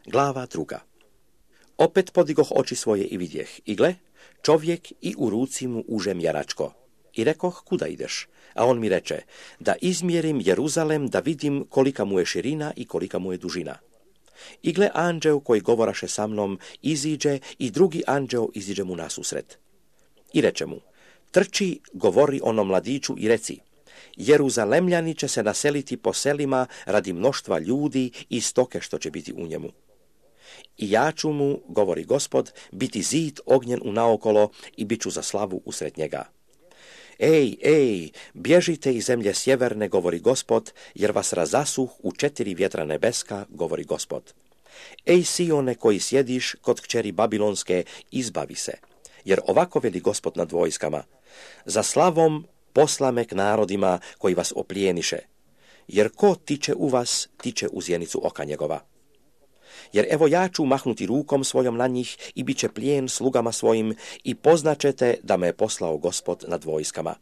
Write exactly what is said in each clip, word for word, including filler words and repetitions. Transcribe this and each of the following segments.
Glava druga. Opet podigoh oči svoje i vidjeh, i gle, čovjek i u ruci mu užem jaračko. I rekoh, kuda ideš? A on mi reče, da izmjerim Jeruzalem, da vidim kolika mu je širina i kolika mu je dužina. I gle, anđeo koji govoraše sa mnom iziđe i drugi anđeo iziđe mu nasusret. I reče mu, trči, govori onom mladiću i reci, Jeruzalemljani će se naseliti po selima radi mnoštva ljudi i stoke što će biti u njemu. I ja ću mu, govori Gospod, biti zid ognjen u naokolo i bit ću za slavu usred njega. Ej, ej, bježite iz zemlje sjeverne, govori Gospod, jer vas razasuh u četiri vjetra nebeska, govori Gospod. Ej, Sione koji sjediš kod kćeri Babilonske, izbavi se, jer ovako veli Gospod nad vojskama. Za slavom posla me k narodima koji vas oplijeniše, jer ko tiče u vas, tiče u zjenicu oka njegova. Jer evo ja ću mahnuti rukom svojom na njih i bit će plijen slugama svojim i poznaćete da me je poslao Gospod nad vojskama.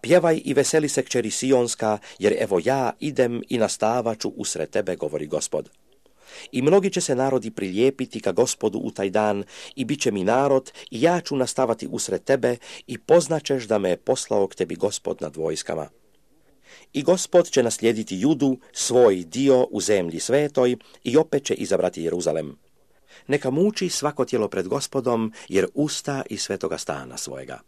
Pjevaj i veseli se kćeri Sionska, jer evo ja idem i nastavaću usred tebe, govori Gospod. I mnogi će se narodi prilijepiti ka Gospodu u taj dan i bit će mi narod i ja ću nastavati usred tebe i poznaćeš da me je poslao k tebi Gospod nad vojskama. I Gospod će naslijediti Judu, svoj dio u zemlji svetoj i opet će izabrati Jeruzalem. Neka muči svako tijelo pred Gospodom, jer usta iz svetoga stana svojega.